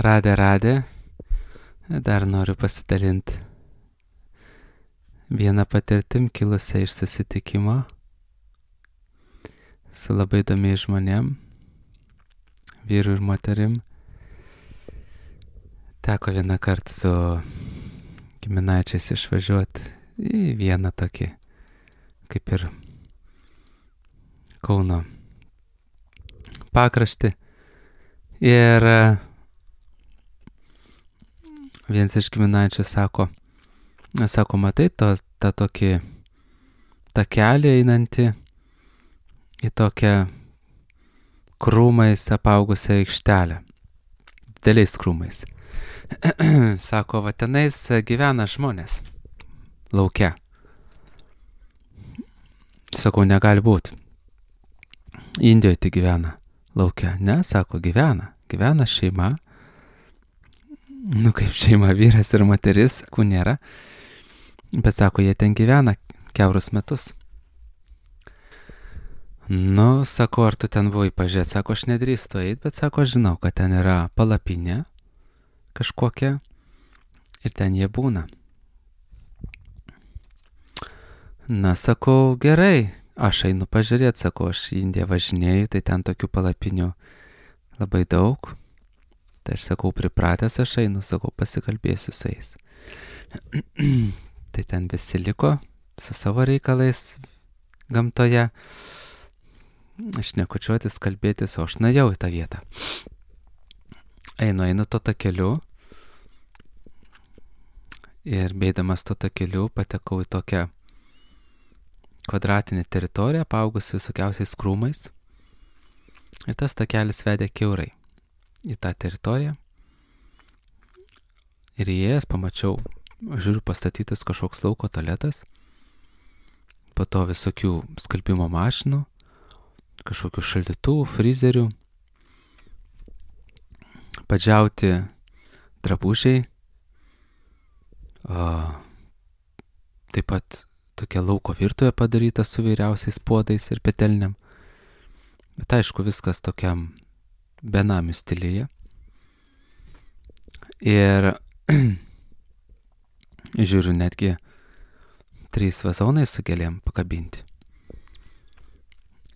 Radė. Dar noriu pasidalinti vieną patirtim kilusią iš susitikimo su labai įdomiais žmonėm, vyru ir moterim. Teko vieną kartą su giminaičiais išvažiuoti į vieną tokį, kaip ir Kauno pakraštį. Ir vienas iš giminaičių sako, matai, tą tokį takelį einantį į tokią krūmais apaugusią aikštelę, dideliais krūmais. Sako, va tenais gyvena žmonės lauke. Sakau, negali būti. Indijoje tai gyvena lauke. Ne, sako, gyvena šeima. Kaip šeima, vyras ir moteris, nėra. Bet sako, jie ten gyvena kiaurus metus. Sako, ar tu ten buvai pažiūrėti? Sako, aš nedrįstu eiti, bet sako, žinau, kad ten yra palapinė kažkokia ir ten jie būna. Sakau, gerai, aš einu pažiūrėti, sako, aš į Indiją važinėju, tai ten tokių palapinių labai daug. Tai aš sakau, pripratęs aš einu, sakau, pasikalbėsiu su jais. Tai ten visi liko su savo reikalais gamtoje. Aš nekučiuotis, kalbėtis, o aš nuėjau į tą vietą. Einu to takeliu. Ir beidamas to takeliu patekau į tokią kvadratinę teritoriją, apaugusi visokiausiais krūmais. Ir tas takelis vedė kiaurai į tą teritoriją. Ir įėjęs pamačiau, žiūriu, pastatytas kažkoks lauko tualetas, po to visokių skalbimo mašinų, kažkokių šaldytuvų, frizerių, padžiauti drabužiai, taip pat tokia lauko virtuvė padaryta su vairiausiais puodais ir petelniam. Bet aišku, viskas tokiam benamių stiliuje. Ir žiūriu, netgi 3 vazonai su gėlėm pakabinti.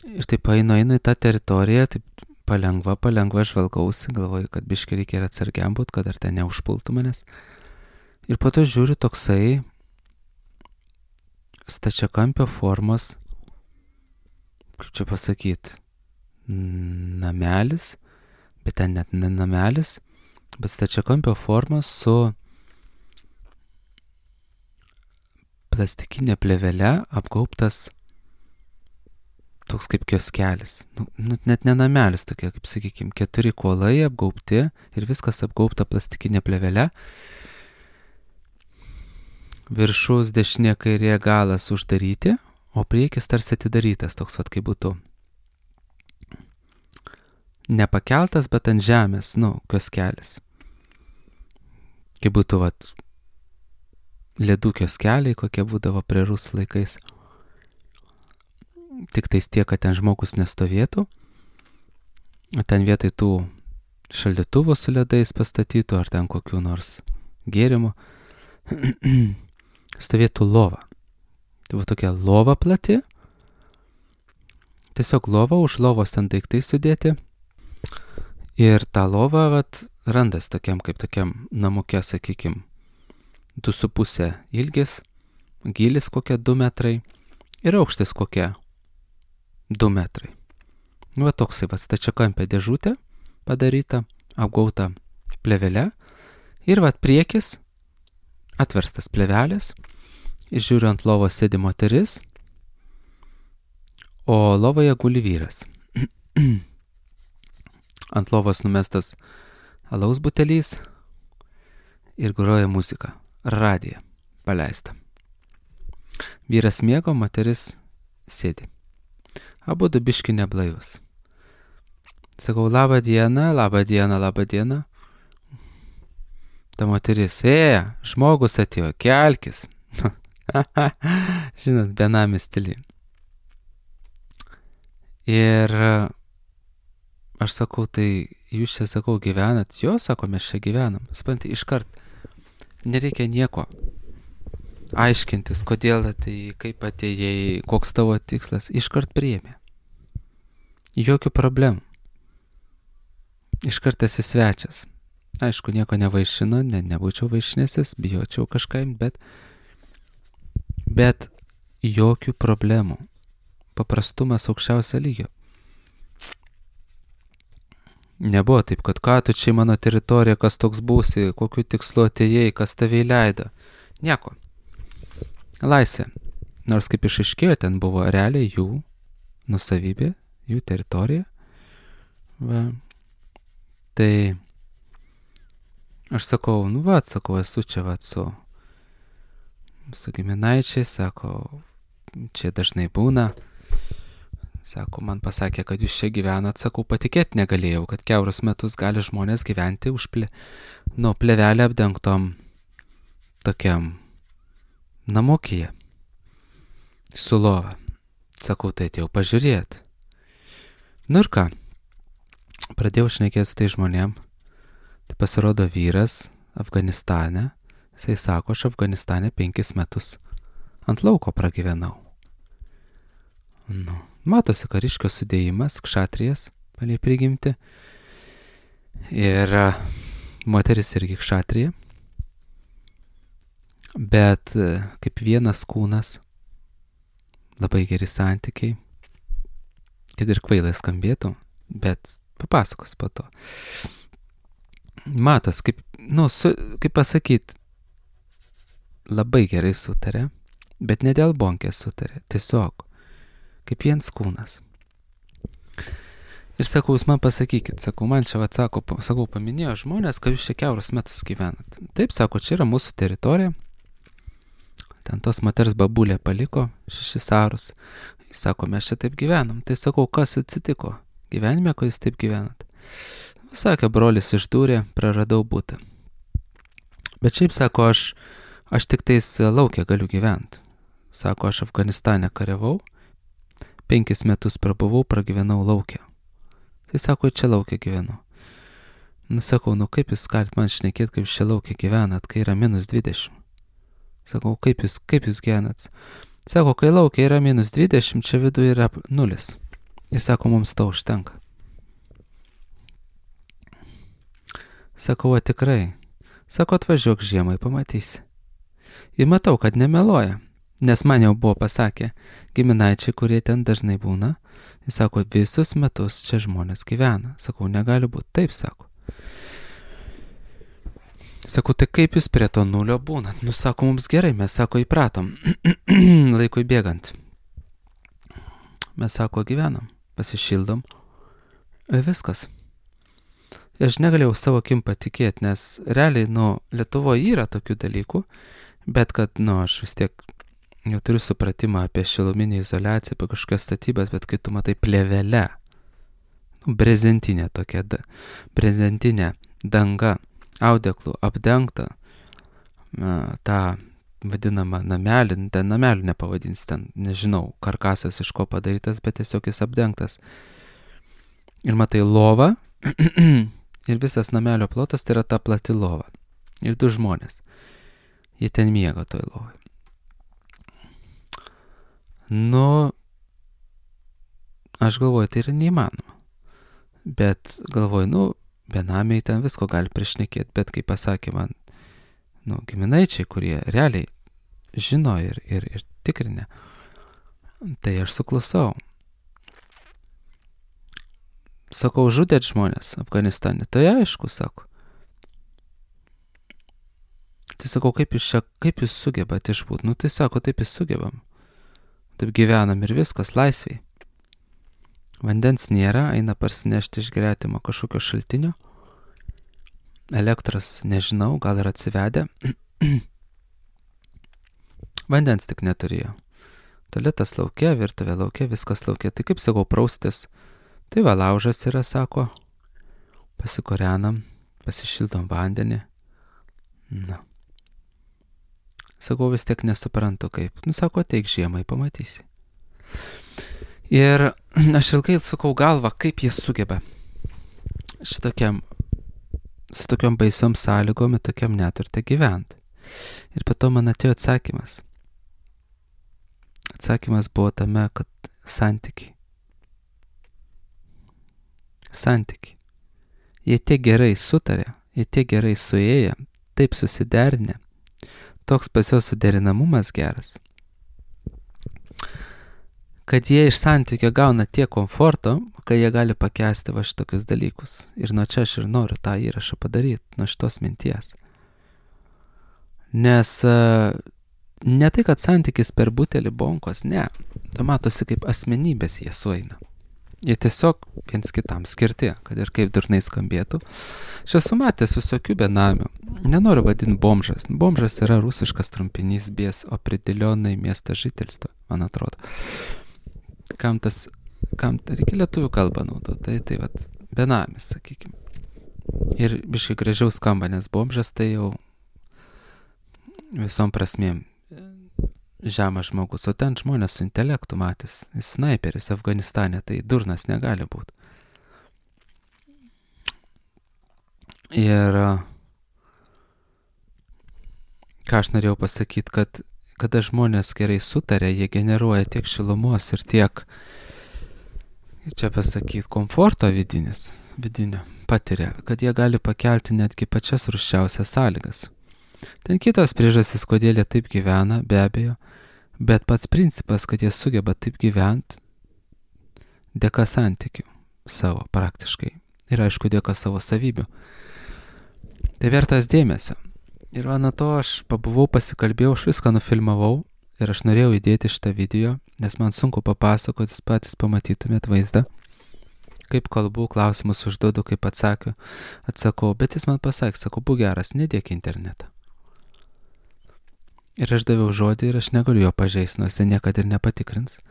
Ir taip einu į tą teritoriją, taip palengva žvalgausi, galvoju, kad biškį reikia ir atsargiam būt, kad ar ten neužpultų manęs. Ir po to žiūriu toksai stačiakampio formos, kaip čia pasakyti, namelis, bet ten net ne namelis, bet stačiakampio formos su plastikinė plėvele apgaubtas toks kaip kioskelis. Net ne namelis, tokie, kaip sakykime, 4 kuolai apgaubti ir viskas apgaubta plastikinė plėvele. Viršus dešinė kairė galas uždaryti, o priekis tarsi atidarytas, toks vat kaip būtų nepakeltas, bet ant žemės, kioskelis. Kaip būtų vat ledų kioskeliai, kokie būdavo prie rusų laikais. Tik tais tiek, kad ten žmogus nestovėtų, o ten vietoj tų šaldytuvų su ledais pastatytų, ar ten kokių nors gėrimų, stovėtų lova. Tai va tokia lova plati, tiesiog lova, už lovos ten daiktai sudėti. Ir tą lovą randas tokiam namuke, sakykim, 2,5 ilgis, gylis kokie 2 metrai ir aukštis kokie 2 metrai. Va toksai stačiakampė dėžutė padaryta, apgauta plėvele ir priekis atverstas plėvelės ir žiūriu, ant lovos sėdi moteris, o lovoje guli vyras. Ant lovos numestas alaus butelys ir groja muzika, radija paleista. Vyras miego, moteris sėdi. Abudu biški neblaivus. Sakau, labą dieną. Ta moteris, žmogus atėjo, kelkis. Žinot, benamis stiliai. Ir aš sakau, tai jūs čia, sakau, gyvenat? Jo, sako, mes čia gyvenam. Supranti, iškart nereikia nieko aiškintis, kodėl atėjai, kaip atėjai, koks tavo tikslas. Iškart priėmė. Jokių problemų. Iškart esi svečias. Aišku, nieko nevaišino, nebūčiau vaišinęsis, bijočiau kažką, bet jokių problemų. Paprastumas aukščiausio lygio. Nebuvo taip, kad ką tu čia mano teritorija, kas toks būsi, kokiu tikslu atėjai, kas tave įleido. Nieko. Laisvė. Nors kaip išaiškėjo, ten buvo realiai jų nusavybė, jų teritorija. Va. Tai aš sakau, esu čia su giminaičiais, sako, čia dažnai būna. Sako, man pasakė, kad jūs čia gyvenat, sakau, patikėti negalėjau, kad kiaurus metus gali žmonės gyventi už plėvelę apdengtom tokiam namukyje su lova. Sakau, tai atėjau pažiūrėti. Nu ir ką, pradėjau šnekėti su tai žmonėm. Tai pasirodo vyras Afganistane, jisai sako, aš Afganistane 5 metus ant lauko pragyvenau. Nu, matosi kariškio sudėjimas, kšatrijas, palei prigimti. Ir moteris irgi kšatrija. Bet kaip vienas kūnas, labai geri santykiai. Kad ir kvailai skambėtų, bet papasakos po to. Matos, kaip pasakyt, labai gerai sutarė, bet ne dėl bonkės sutarė, tiesiog kaip vienas kūnas. Ir sakau, jūs man pasakykit, sakau, man čia paminėjo žmonės, kad jūs čia kiaurus metus gyvenat. Taip, sako, čia yra mūsų teritorija. Ten tos moters babulė paliko 6 arus. Jis sako, mes čia taip gyvenam. Tai sakau, kas atsitiko gyvenime, ko jūs taip gyvenat? Sakė, brolis išdūrė, praradau butą. Bet šiaip, sako, aš tik tais laukia galiu gyventi. Sako, aš Afganistane kariavau, 5 metus prabuvau, pragyvenau laukia. Tai sako, čia laukia gyvenu. Nu, sakau, kaip jūs galit man šnekėti, kaip jūs čia laukia gyvenat, kai yra -20. Sakau, kaip jūs gyvenat? Sako, kai laukia yra -20, čia viduje yra 0. Jis sako, mums to užtenka. Sakau, tikrai. Sako, atvažiuok žiemai, pamatysi. Ir matau, kad nemeluoja, nes man jau buvo pasakę giminaičiai, kurie ten dažnai būna. Jis sako, visus metus čia žmonės gyvena. Sakau, negali būti. Taip, sako. Sakau, tai kaip jūs prie to 0 būnat? Nu, sako, mums gerai, mes, sako, įpratom. Laikui bėgant. Mes, sako, gyvenam, pasišildom. Ir viskas. Aš negalėjau savo akim patikėti, nes realiai, Lietuvoje yra tokių dalykų, bet kad, aš vis tiek jau turiu supratimą apie šiluminį izoliaciją, apie kažkokias statybas, bet kai tu matai plėvelę, brezentinė tokia, brezentinė danga, audeklų apdengta, tą vadinamą namelį, ten namelių nepavadins, ten, nežinau, karkasas iš ko padarytas, bet tiesiog jis apdengtas. Ir matai lovą, ir visas namelio plotas tai yra ta plati lova. Ir 2 žmonės. Jie ten miega toj lovai. Aš galvoju, tai yra neįmanoma. Bet galvoju, benamiai ten visko gali prišnekėti, bet kaip pasakė man, giminaičiai, kurie realiai žino ir tikrinę, tai aš suklusau. Sakau, žudėt žmonės Afganistane. Tai aišku, sako. Tai sakau, kaip jūs sugebat išbūt? Tai sako, taip jūs sugebam. Taip gyvenam ir viskas, laisviai. Vandens nėra, eina parsinešti iš gretimo kažkokio šaltinio. Elektros nežinau, gal ir atsivedę. Vandens tik neturėjo. Tualetas lauke, virtuvė lauke, viskas lauke. Tai kaip sakau, praustis. Tai va, laužas yra, sako, pasikorenam, pasišildom vandenį. Sakau, vis tiek nesuprantu kaip. Sako, ateik žiemai, pamatysi. Ir aš ilgai sukau galvą, kaip jie sugeba. šitokiam, su tokiom baisiom sąlygom, tokiam neturte gyventi. Ir po to man atėjo atsakymas. Atsakymas buvo tame, kad santykiai. Jie tiek gerai sutarė, jie tiek gerai suėję, taip susiderinę, toks pas jos suderinamumas geras, kad jie iš santykio gauna tiek komforto, kad jie gali pakęsti va šitokius dalykus. Ir nuo čia aš ir noriu tą įrašą padaryti, nuo šitos minties. Nes ne tai, kad santykis per butelį bonkos, ne. To matosi, kaip asmenybės jie sueina. Jie tiesiog viens kitam skirti, kad ir kaip durnai skambėtų. Aš esu matęs visokių benamių. Nenoriu vadinti bomžas. Bomžas yra rusiškas trumpinys без определенной места жительства, man atrodo. Kam reikia lietuvių kalbą naudoti, tai vat benamis, sakykime. Ir biškai gražiau skamba, nes bomžas tai jau visom prasmėm žemas žmogus, o ten žmonės su intelektu matys. Snaiperis Afganistane, tai durnas negali būti. Ir ką aš norėjau pasakyti, kad kada žmonės gerai sutarė, jie generuoja tiek šilumos ir tiek, čia pasakyti, komforto vidinio patiria, kad jie gali pakelti netgi pačias rūsčiausias sąlygas. Ten kitos priežastys, kodėl jie taip gyvena, be abejo, bet pats principas, kad jie sugeba taip gyventi dėka santykių savo praktiškai ir aišku dėka savo savybių. Tai vertas dėmesio. Ir nuo to aš pabuvau, pasikalbėjau, aš viską nufilmavau ir aš norėjau įdėti šitą video, nes man sunku papasakoti, patys pamatytumėt vaizdą, kaip kalbu, klausimus užduodu, kaip atsakau, bet jis man pasakė, sakau, būk geras, nedėk internetą. Ir aš daviau žodį ir aš negaliu jo pažeisti, nors jis niekada ir nepatikrins,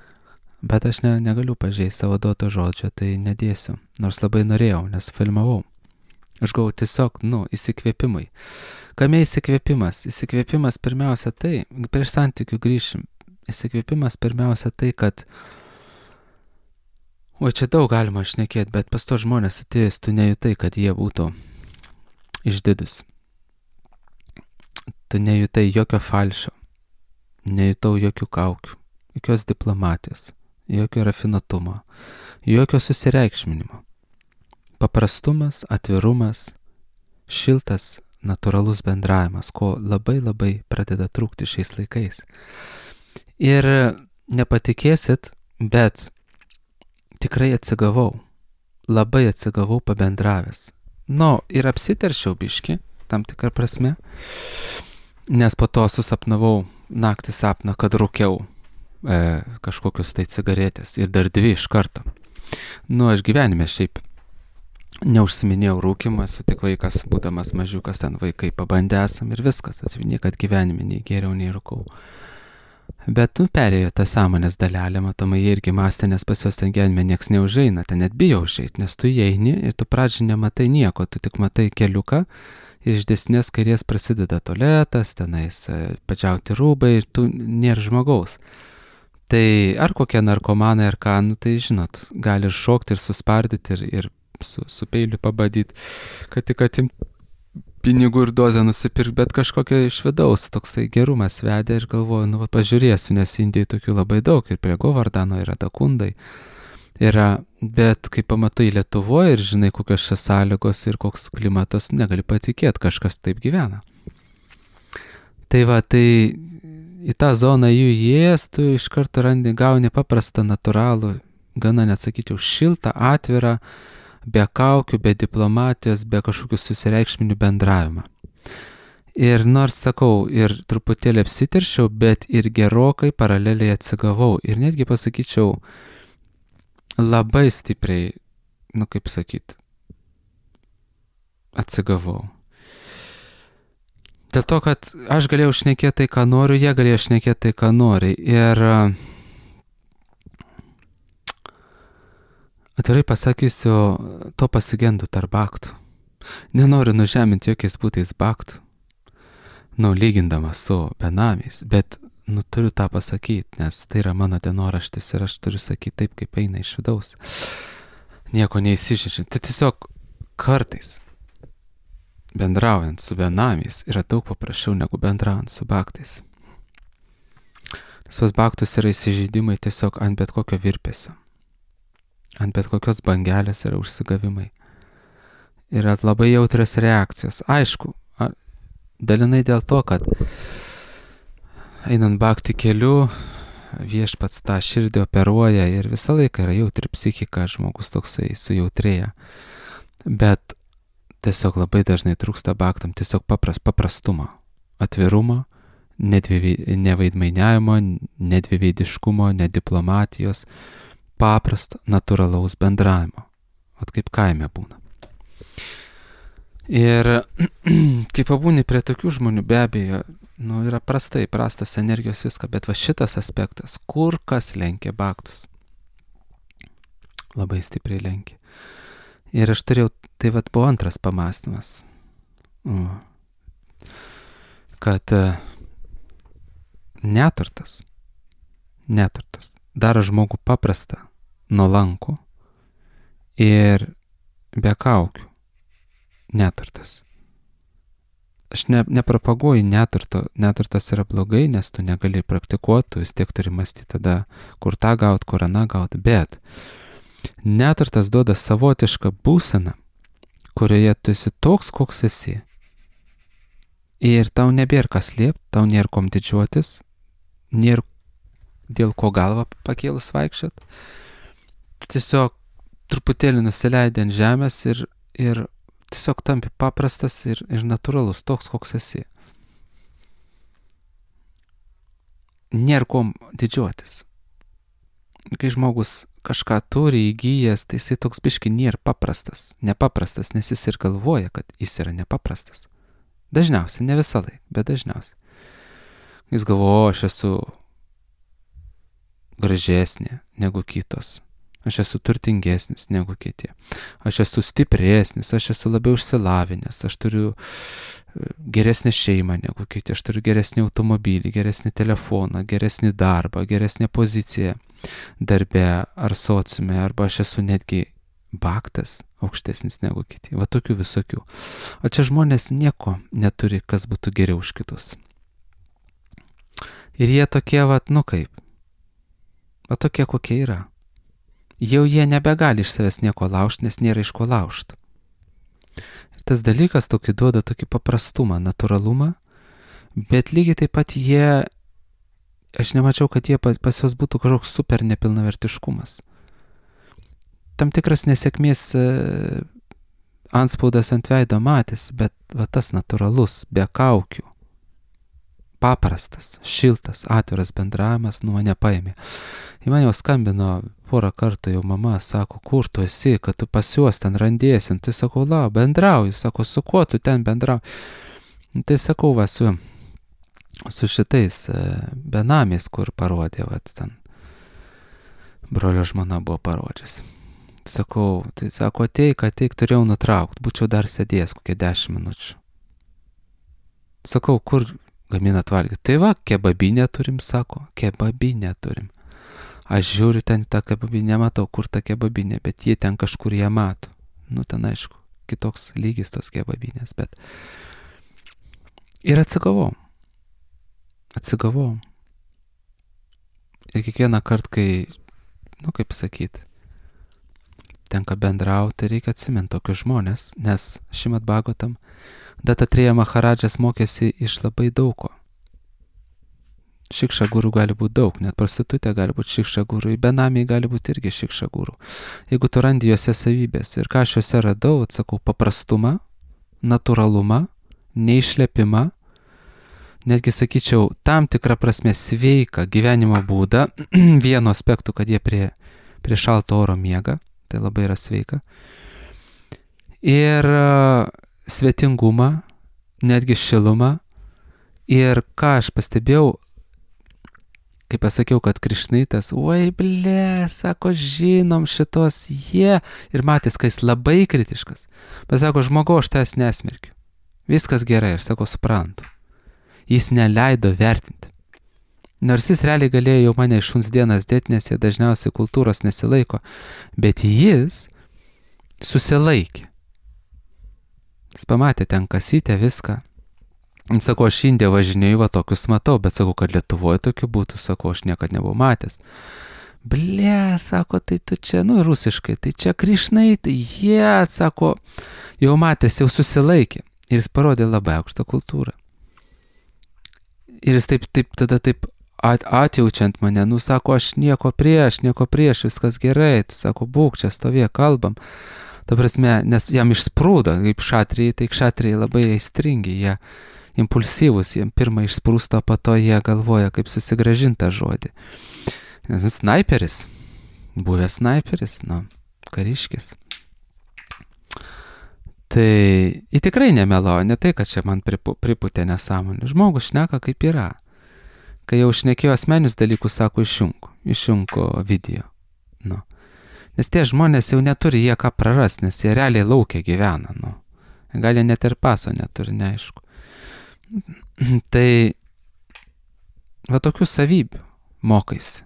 bet aš negaliu pažeisti savo duoto žodžio, tai nedėsiu, nors labai norėjau, nes filmavau. Aš gavau tiesiog, įsikvėpimui. Kame įsikvėpimas? Įsikvėpimas pirmiausia tai, prieš santykių grįšim, įsikvėpimas pirmiausia tai, kad čia daug galima šnekėti, bet pas to žmonės atėjus, tu nejutai, kad jie būtų išdidus. Tu nejutai jokio falšo, nejutau jokių kaukių, jokios diplomatijos, jokio rafinuotumo, jokio susireikšminimo. Paprastumas, atvirumas, šiltas, natūralus bendravimas, ko labai labai pradeda trūkti šiais laikais. Ir nepatikėsit, bet tikrai atsigavau, labai atsigavau pabendravęs. Ir apsiteršiau biškį, tam tikrą prasme, nes po to susapnavau naktį sapną, kad rūkiau kažkokius tai cigaretės ir dar 2 iš karto. Aš gyvenime šiaip neužsiminėjau rūkimą, esu tik vaikas, būdamas mažiukas, ten vaikai pabandė esam ir viskas, niekad gyvenime nei geriau, nei rūkau. Bet perėjo tą sąmonės dalelę, matomai jie irgi mąstė, nes pas juos ten gyvenime nieks neužeina, ten net bijo užeiti, nes tu įeini ir tu pradžiai nematai nieko, tu tik matai keliuką ir iš dešinės kairės prasideda tualetas, tenais padžiauti rūbai ir tu nėra žmogaus. Tai ar kokie narkomanai ar ką, tai žinot, gali ir šokti ir suspardyti ir su peiliu pabadyti, kad tik atimt pinigų ir dozę nusipirkti, bet kažkokia iš vidaus toksai gerumas vedė ir galvoju, pažiūrėsiu, nes Indijai tokių labai daug ir prie Govardano yra Dakundai. Bet kai pamatai Lietuvoje ir žinai, kokios čia sąlygos ir koks klimatas, negali patikėti, kažkas taip gyvena. Tai į tą zoną jų įėjęs, tu iš karto gauni paprastą, natūralų, gana nesakyčiau, šiltą, atvirą, be kaukių, be diplomatijos, be kažkokių susireikšminių bendravimą. Ir nors sakau, ir truputėlį apsiteršiau, bet ir gerokai paraleliai atsigavau. Ir netgi pasakyčiau, labai stipriai, kaip sakyti, atsigavau. Dėl to, kad aš galėjau šnekėti tai, ką noriu, jie galėjo šnekėti tai, ką nori. Ir atvirai pasakysiu, to pasigendu tarp baktų. Nenoriu nužeminti jokiais būtais baktų, lygindamas su benamiais, bet turiu tą pasakyti, nes tai yra mano dienoraštis ir aš turiu sakyti taip, kaip eina iš vidaus. Nieko neįsižeidžiant. Tai tiesiog kartais bendraujant su benamiais yra daug paprasčiau negu bendraujant su baktais. Nes pas baktus yra įsižeidimai tiesiog ant bet kokio virpesio. Ant bet kokios bangelės yra užsigavimai. Yra labai jautrios reakcijos. Aišku, dalinai dėl to, kad einant bakti keliu, viešpats tą širdį operuoja ir visą laiką yra jautri psichika, žmogus toksai sujautrėja. Bet tiesiog labai dažnai trūksta baktam tiesiog paprastumo, atvirumo, nevaidmainiavimo, nedviveidiškumo, nediplomatijos, paprasto, natūralaus bendravimo. Vat kaip kaime būna. Ir kai pabūni prie tokių žmonių, be abejo, yra prastas energijos viską, bet va šitas aspektas, kur kas lenkia baktus. Labai stipriai lenkia. Ir aš turėjau, tai vat buvo antras pamąstymas, kad neturtas daro žmogų paprastą, nuolankų ir be kaukių. Neturtas. Aš nepropaguoju neturto, neturtas yra blogai, nes tu negali praktikuoti, tu vis tiek turi mąstyti tada, kur tą gauti, kur aną gauti, bet neturtas duoda savotišką būseną, kurioje tu esi toks, koks esi. Ir tau nebėra kas slėpti, tau nėra kom didžiuotis, nėra dėl ko galvą pakėlus vaikščiot. Tiesiog truputėlį nusileidai ant žemės ir tiesiog tampi paprastas ir natūralus, toks, koks esi. Nėra kom didžiuotis. Kai žmogus kažką turi įgyjęs, tai jisai toks biški nėra nepaprastas, nes jis ir galvoja, kad jis yra nepaprastas. Dažniausiai, ne visą laiką, bet dažniausiai. Jis galvoja, aš esu gražesnė negu kitos. Aš esu turtingesnis negu kiti. Aš esu stipresnis, aš esu labiau išsilavinęs, aš turiu geresnę šeimą negu kiti, aš turiu geresnį automobilį, geresnį telefoną, geresnį darbą, geresnę poziciją darbe ar sociume, arba aš esu netgi baktas aukštesnis negu kiti. Va tokių visokių. O čia žmonės nieko neturi, kas būtų geriau už kitus. Ir jie tokie, tokie kokie yra. Jau jie nebegali iš savęs nieko laužti, nes nėra iš ko laužti. Ir tas dalykas tokį duoda tokį paprastumą, natūralumą, bet lygiai taip pat aš nemačiau, kad pas juos būtų kažkoks super nepilnavertiškumas. Tam tikras nesėkmės antspaudas ant veido matės, bet va tas natūralus, be kaukių, paprastas, šiltas, atviras bendravimas nuo mane paėmė. Į mane jau skambino porą kartų jau mama, sako, kur tu esi, kad tu pas juos ten randėsi. Tai sakau, bendrauju, sako, su kuo tu ten bendrauji. Tai sakau, su šitais benamiais, kur parodė, ten brolio žmona buvo parodžius. Sakau, tai sako, ateik, turėjau nutraukti, būčiau dar sėdėjęs kokie 10 minučių. Sakau, kur gaminat valgyti? Tai va, kebabinę turim, sako, kebabinę turim. Aš žiūriu ten tą kebabinę, matau, kur ta kebabinė, bet jie ten kažkur ją mato. Ten aišku, kitoks lygis tos kebabinės, bet... Ir atsigavau. Ir kiekvieną kartą, kai, kaip sakyti, tenka bendrauti, reikia atsiminti tokius žmonės, nes Šrimad Bhagavatam Datatreya Maharadžas mokėsi iš labai daugo. Šikša guru gali būti daug, net prostitutė gali būti šikša guru, benamiai gali būti irgi šikša guru. Jeigu tu randi juose savybės. Ir ką aš juose radau, atsakau, paprastumą, natūralumą, neišlepimą, netgi sakyčiau, tam tikrą prasme sveiką gyvenimo būdą, vienu aspektu, kad jie prie šalto oro miega, tai labai yra sveika. Ir svetingumą, netgi šilumą. Ir ką aš pastebėjau, kai pasakiau, kad Krišnaitas, sako, žinom šitos jie, ir matys, kai jis labai kritiškas. Pasako, žmogau, aš tavęs nesmerkiu. Viskas gerai, aš sako, suprantu. Jis neleido vertinti. Nors jis realiai galėjo jau mane iš šuns dienas dėti, nes jie dažniausiai kultūros nesilaiko, bet jis susilaikė. Jis pamatė ten kasytę viską. Sako, aš Indiją važinėjau, va tokius matau, bet sakau, kad Lietuvoje tokių būtų, sako, aš niekad nebuvau matęs. Ble, sako, tai tu čia, rusiškai, tai čia Krišnai, tai jie, sako, jau matęs, jau susilaikė. Ir jis parodė labai aukštą kultūrą. Ir jis tada atjaučiant mane, sako, aš nieko prieš, viskas gerai, tu sako, būk čia, stovė, kalbam. Ta prasme, nes jam išsprūdo, kaip šatrijai, tai šatrijai labai aistringi, jie impulsyvus, jiem pirmą išsprūsto, po to jie galvoja, kaip susigrąžinti tą žodį. Nes snaiperis, buvęs snaiperis, kariškis. Tai jį tikrai nemeluoja, ne tai, kad čia man pripūtė nesąmonė. Žmogus šneka kaip yra. Kai jau šnekėjo asmenius dalykus, sako, išjunko video. Nes tie žmonės jau neturi jie ką prarast, nes jie realiai laukia gyvena. Gali net ir paso neturi, neaišku. Tai va tokių savybių mokaisi.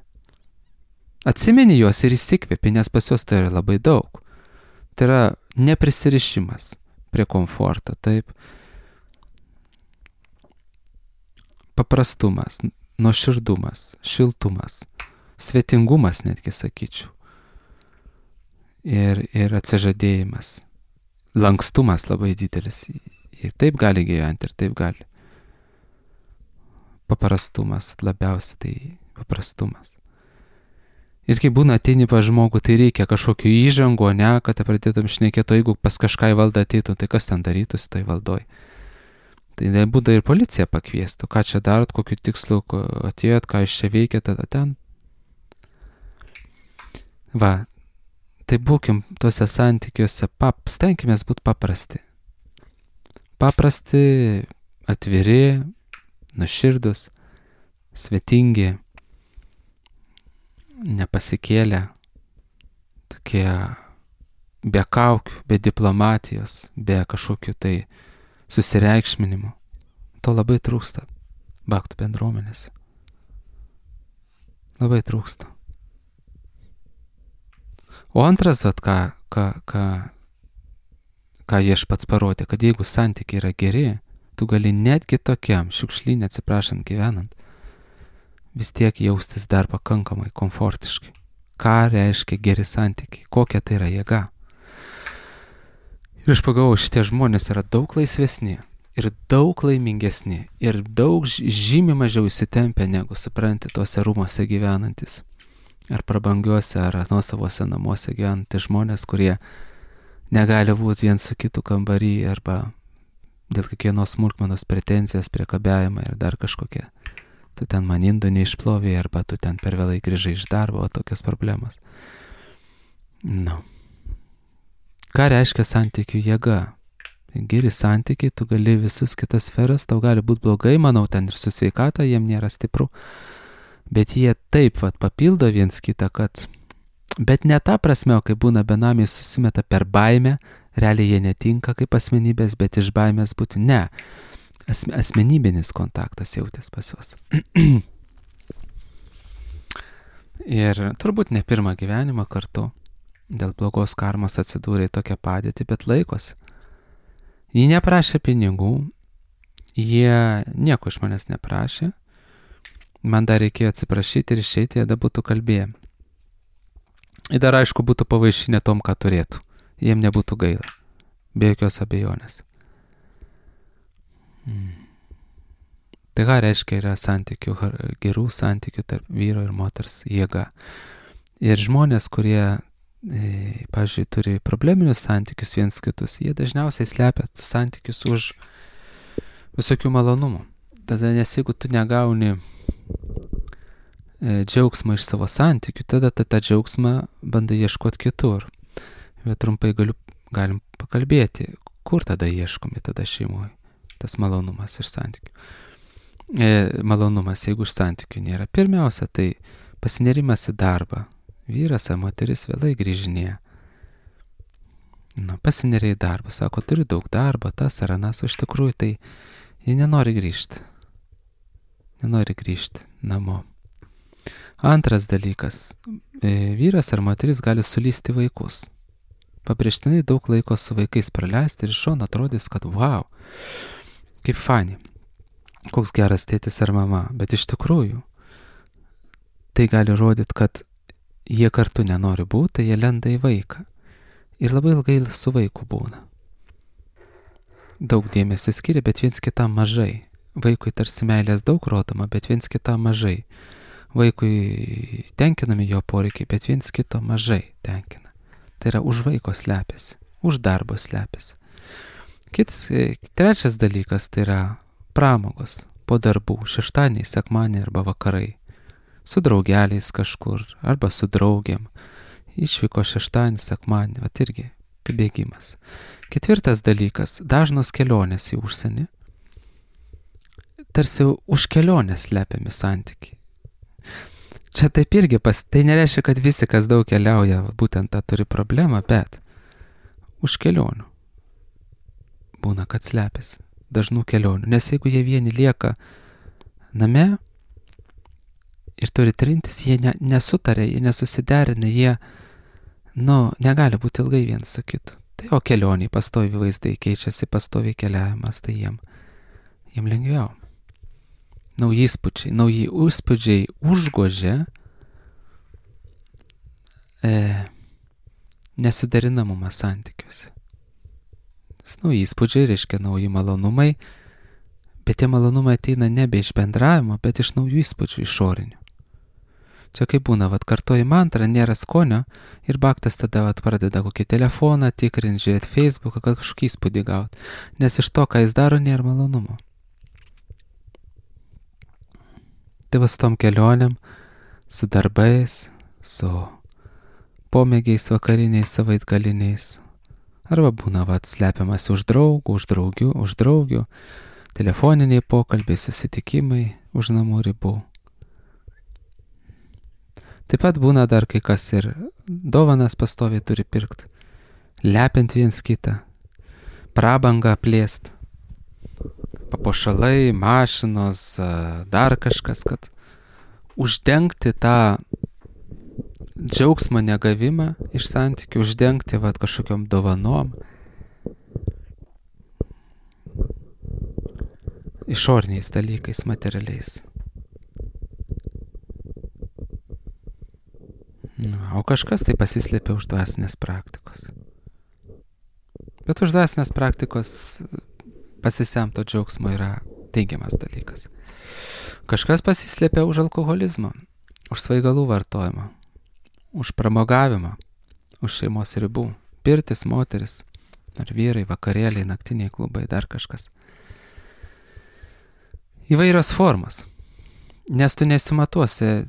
Atsimeni juos ir įsikvėpi, nes pas juos tai yra labai daug. Tai yra neprisirišimas prie komforto, taip. Paprastumas, nuoširdumas, šiltumas, svetingumas netgi sakyčiau. Ir atsižadėjimas. Lankstumas labai didelis. Ir taip gali gyventi, ir taip gali. Paprastumas, labiausiai tai paprastumas. Ir kai būna ateini pas žmogų, tai reikia kažkokio įžango, ne, kad pradėtum šnekėti, jeigu pas kažką į valdą ateitų, tai kas ten darytųsi toj valdoj. Tai būda ir policija pakviestų, ką čia darot, kokiu tikslu atėjot, ką jūs čia veikia, tada ten. Va, tai būkim tuose santykiuose, stenkimės būti paprasti. Paprasti, atviri, nuoširdus, svetingi, nepasikėlę, tokie be kaukių, be diplomatijos, be kažkokių tai susireikšminimų. To labai trūksta baktų bendruomenėse. Labai trūksta. O antras, ką Viešpats parodė, kad jeigu santykiai yra geri, tu gali netgi tokiam šiukšlyne, atsiprašant, gyvenant, vis tiek jaustis dar pakankamai komfortiškai. Ką reiškia geri santykiai? Kokia tai yra jėga? Ir aš pagalvojau, šitie žmonės yra daug laisvesni ir daug laimingesni ir daug žymiai mažiau įsitempę negu, supranti, tuose rūmuose gyvenantis. Ar prabangiuose, ar nuosavose namuose gyvenantys žmonės, kurie negali būti vien su kitu kambarį arba dėl kiekvienos smulkmenos pretenzijos, priekabiavimą ir dar kažkokie. Tu ten man indų neišplovė arba tu ten per vėlai grįžai iš darbo, o tokios problemos. Ką reiškia santykių jėga? Geri santykiai, tu gali visus kitas sferas, tau gali būti blogai, manau, ten ir su sveikata jiem nėra stipru, bet jie taip papildo viens kitą, kad bet ne ta prasme, kai būna benamiai susimeta per baimę, realiai jie netinka kaip asmenybės, bet iš baimės būti ne. Asmenybinis kontaktas jautės pas juos. Ir turbūt ne pirmą gyvenimą kartu dėl blogos karmos atsidūrė į tokią padėtį, bet laikosi. Jie neprašė pinigų, jie nieko iš manęs neprašė, man dar reikėjo atsiprašyti ir išeiti, jie dar būtų kalbėję. Ir dar aišku būtų pavaišinę tom, ką turėtų. Jiem nebūtų gaila. Be jokios abejonės. Tai ką reiškia yra santykių, gerų santykių tarp vyro ir moters jėga. Ir žmonės, kurie, pavyzdžiui, turi probleminius santykius viens kitus, jie dažniausiai slepia santykius už visokių malonumų. Tada, nes jeigu tu negauni džiaugsmą iš savo santykių, tada tą džiaugsmą bandai ieškoti kitur. Bet trumpai galim pakalbėti, kur tada ieškomi tada šeimoje, tas malonumas iš santykių. Malonumas, jeigu iš santykių nėra. Pirmiausia, tai pasinerimas į darbą. Vyras ar moteris vėlai grįžinėja. Pasineria į darbą, sako, turi daug darbo, tas ar anas, o iš tikrųjų tai jie nenori grįžti. Nenori grįžti namo. Antras dalykas, vyras ar moteris gali sulysti vaikus. pabrėžtinai daug laiko su vaikais praleisti ir iš šono atrodys, kad wow, kaip fani, koks geras tėtis ar mama, bet iš tikrųjų tai gali rodyti, kad jie kartu nenori būti, jie lenda į vaiką ir labai ilgai su vaiku būna. Daug dėmesio skiria, bet viens kitam mažai. Vaikui tarsi meilės daug rodoma, bet viens kitam mažai. Vaikui tenkinami jo poreikiai, bet viens kito mažai tenkina. Tai yra už vaiko slepiasi, už darbo slepiasi. Trečias dalykas tai yra pramogos po darbų, šeštadieniai, sekmadieniai arba vakarai. Su draugeliais kažkur arba su draugiam. Išvyko šeštadienį, sekmadienį, vat irgi pabėgimas. Ketvirtas dalykas, dažnos kelionės į užsienį. Tarsi už kelionės slepiami santykiai. Čia taip irgi tai nereiškia, kad visi, kas daug keliauja, būtent tą turi problemą, bet už kelionių būna, kad slepiasi dažnų kelionių. Nes jeigu jie vieni lieka name ir turi trintis, jie nesutarė, jie nesusiderina, jie negali būti ilgai viens su kitu. Tai o kelioniai, pastovi vaizdai keičiasi, pastovi keliavimas, tai jiem lengviau. Nauji įspūdžiai užgožia nesuderinamumą santykiuose. Nauji įspūdžiai reiškia nauji malonumai, bet tie malonumai ateina nebe iš bendravimo, bet iš naujų įspūdžių išorinių. Čia kaip būna, kartoji mantrą, nėra skonio ir baktas tada pradeda kokį telefoną tikrinti, žiūrėti Facebooką, kad kažkokį įspūdį gauti, nes iš to, ką jis daro, nėra malonumo. Tai su tom kelionėm, su darbais, su pomėgiais vakariniais, savaitgaliniais, arba būna slepiamas už draugų, už draugių, telefoniniai pokalbiai, susitikimai už namų ribų. Taip pat būna dar kai kas ir dovanas pastoviai turi pirkti, lepiant viens kitą, prabangą plėst, papuošalai, mašinos, dar kažkas, kad uždengti tą džiaugsmo negavimą iš santykių, uždengti kažkokiom dovanom, išoriniais dalykais, materialiais. O kažkas tai pasislėpia už dvasinės praktikos. Bet už dvasinės praktikos pasisemto džiaugsmo yra teigiamas dalykas. Kažkas pasislėpia už alkoholizmą, už svaigalų vartojimą, už pramogavimą, už šeimos ribų, pirtis, moteris, ar vyrai, vakarėliai, naktiniai klubai, dar kažkas. Įvairios formos, nes tu nesimatuosi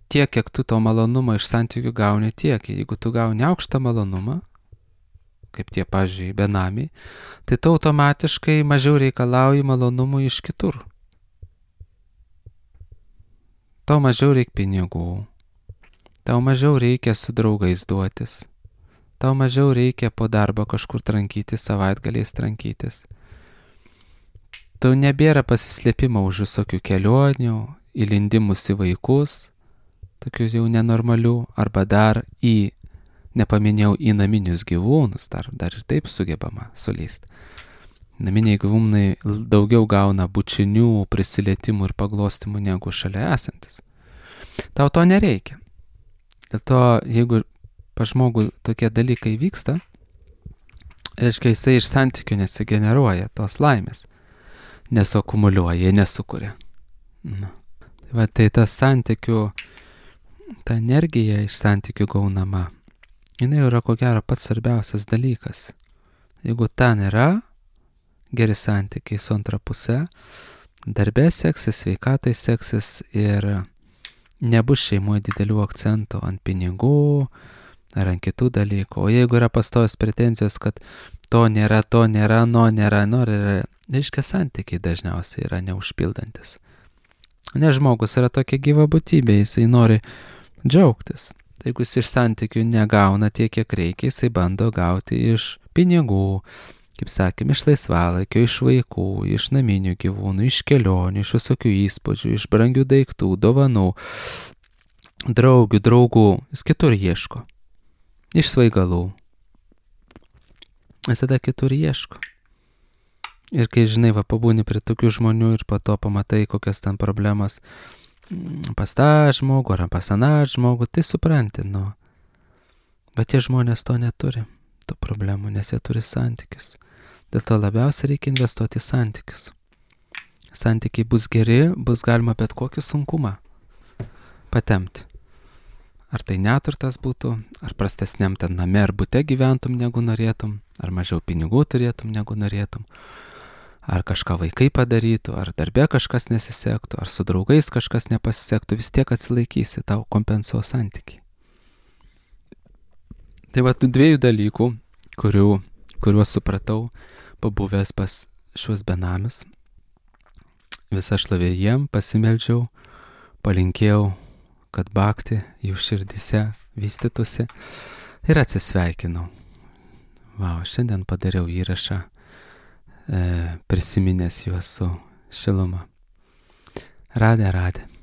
tiek, kiek tu to malonumo iš santykių gauni tiek. Jeigu tu gauni aukštą malonumą, kaip tie, pavyzdžiui, benamiai, tai tu automatiškai mažiau reikalauji malonumų iš kitur. Tau mažiau reikia pinigų, tau mažiau reikia su draugais duotis, tau mažiau reikia po darbo kažkur trankytis, savaitgaliais trankytis. Tau nebėra pasislėpimo už visokių kelionių, įlindimus į vaikus, tokių jau nenormalių, arba dar nepaminėjau, į naminius gyvūnus, dar ir taip sugebama sulysti. Naminiai gyvūnai daugiau gauna bučinių, prisilietimų ir paglostimų negu šalia esantis. Tau to nereikia. Dėl to, jeigu pas žmogų tokie dalykai vyksta, reiškia, jisai iš santykių nesigeneruoja tos laimės, nesakumuliuoja, nesukuria. Tai tas santykių, ta energija iš santykių gaunama, jinai yra ko gero pats svarbiausias dalykas. Jeigu ten yra geri santykiai su antra puse, darbe seksis, sveikatai seksis ir nebus šeimoje didelių akcentų ant pinigų ar ant kitų dalykų. O jeigu yra pastojos pretenzijos, kad to nėra, reiškia, santykiai dažniausiai yra neužpildantis. Nes žmogus yra tokia gyva būtybė, jisai nori džiaugtis. Tai jeigu jis iš santykių negauna tiek, kiek reikia, jisai bando gauti iš pinigų, kaip sakėm, iš laisvalaikio, iš vaikų, iš naminių gyvūnų, iš kelionių, iš visokių įspūdžių, iš brangių daiktų, dovanų, draugų, jis kitur ieško. Iš svaigalų. visada kitur ieško. Ir kai žinai, pabūni prie tokių žmonių ir po to pamatai, kokias ten problemas pas tą žmogų ar pas aną žmogų, tai supranti, Bet tie žmonės to neturi, tų problemų, nes jie turi santykius. Dėl to labiausiai reikia investuoti į santykius. Santykiai bus geri, bus galima bet kokį sunkumą patemti. Ar tai neturtas būtų, ar prastesniam ten name ar bute gyventum negu norėtum, ar mažiau pinigų turėtum negu norėtum, ar kažką vaikai padarytų, ar darbė kažkas nesisektų, ar su draugais kažkas nepasisektų, vis tiek atsilaikysi, tau kompensuos santykiai. Tai tų dviejų dalykų, kuriuos supratau, pabuvęs pas šiuos benamius, visą šlovę jiem pasimeldžiau, palinkėjau, kad bhakti jų širdise vystytųsi ir atsisveikinau. Šiandien padariau įrašą, prisiminęs juos su šiluma. Radė.